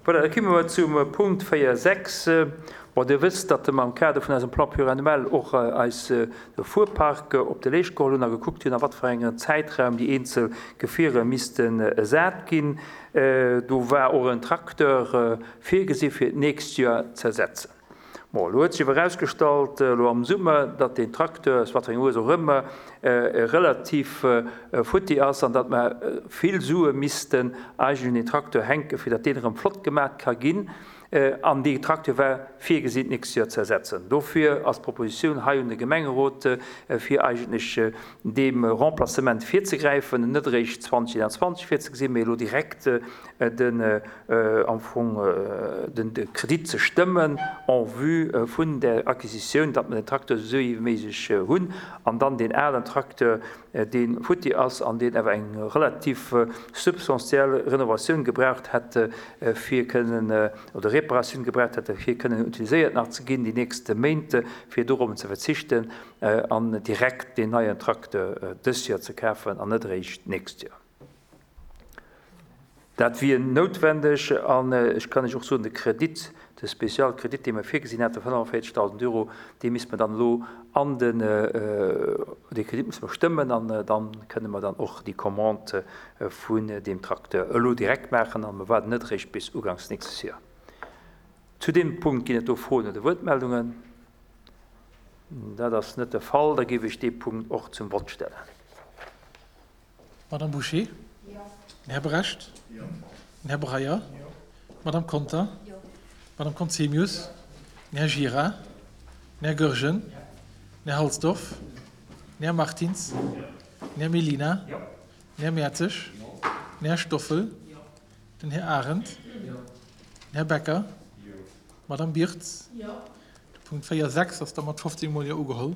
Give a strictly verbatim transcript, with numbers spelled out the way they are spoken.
Voilà, da komme mer zum Punkt véier sechs. Bon, Dir wësst, datt mer am Kader vun eisem Plan pluriannuel och eis de Fuerpark op de Leescht geholl hunn a gekuckt hunn, a wat fir engem Zäitraum déi eenzel Gefierer missten ersat ginn. Do war och en Tracteur virgesi fir d'nächst Joer ze ersetzen. Bon, elo huet sech awer erausgestallt, elo am Summer, datt deen Tracteur, aus wat fir enger Ursaach och ëmmer, relativ futti ass an datt mer vill Sue missten eigentlech un deen Tracteur hänken, fir datt deen erëm flott gemaach ka ginn. An dee Tracteur war virgesinn, d'nächst Joer ze ersetzen. Dofir ass d'Propositioun hei un de Gemengerot, fir eigentlech deem Remplacement virzegräifen, net eréischt zweitausendzwanzig virzegesinn, mee elo direkt den, am Fong den Kredit ze stëmmen en vue vun der Acquisitioun, datt mer den Tracteur esou wéi méiglech hunn an dann deen alen Tracteur, dee futti ass an deen awer eng relativ substantiell Renovatioun gebraucht hätt, fir kënnen, oder Reparatioun gebraucht hätt, fir kënnen utiliséiert nach ze ginn déi nächste Méint, fir dorop ze verzichten an direkt deen neien Tracteur dës Joer ze kafen an net eréischt d'nächst Joer. Dat wier noutwendeg an ech kann lech och soen, de Kredit, de Spezialkredit, dee mer virgesinn haten, fënnefundvéierzegdausend Euro, dee misste mer dann elo an den, dee Kredit musse mer stëmmen an dann kënne mer dann och déi Commande vun deem Tracteur elo direkt maachen an mer waarden net eréischt bis uganks nächstes Joer. Zu deem Punkt ginn et do Froen oder Wuertmeldungen? Dat ass net de Fall, da géif ech dee Punkt och zum Vott stellen. Madame Bouché? Jo. Den Här Brecht? Jo. Den Här Breyer? Jo. Madame Conter? Jo. Madame Conzemius? Den Här Gira? Den Här Goergen? Den Här Halsdorf? Den Här Martins? Den Här Mellina? Jo. Den Här Mertzig? Jo. Den Här Stoffel? Jo. Den Här Arendt? Jo. Den Här Becker? Jo. Madame Birtz? Jo. De Punkt véier sechs ass da mat fofzéng Mol Jo ugeholl.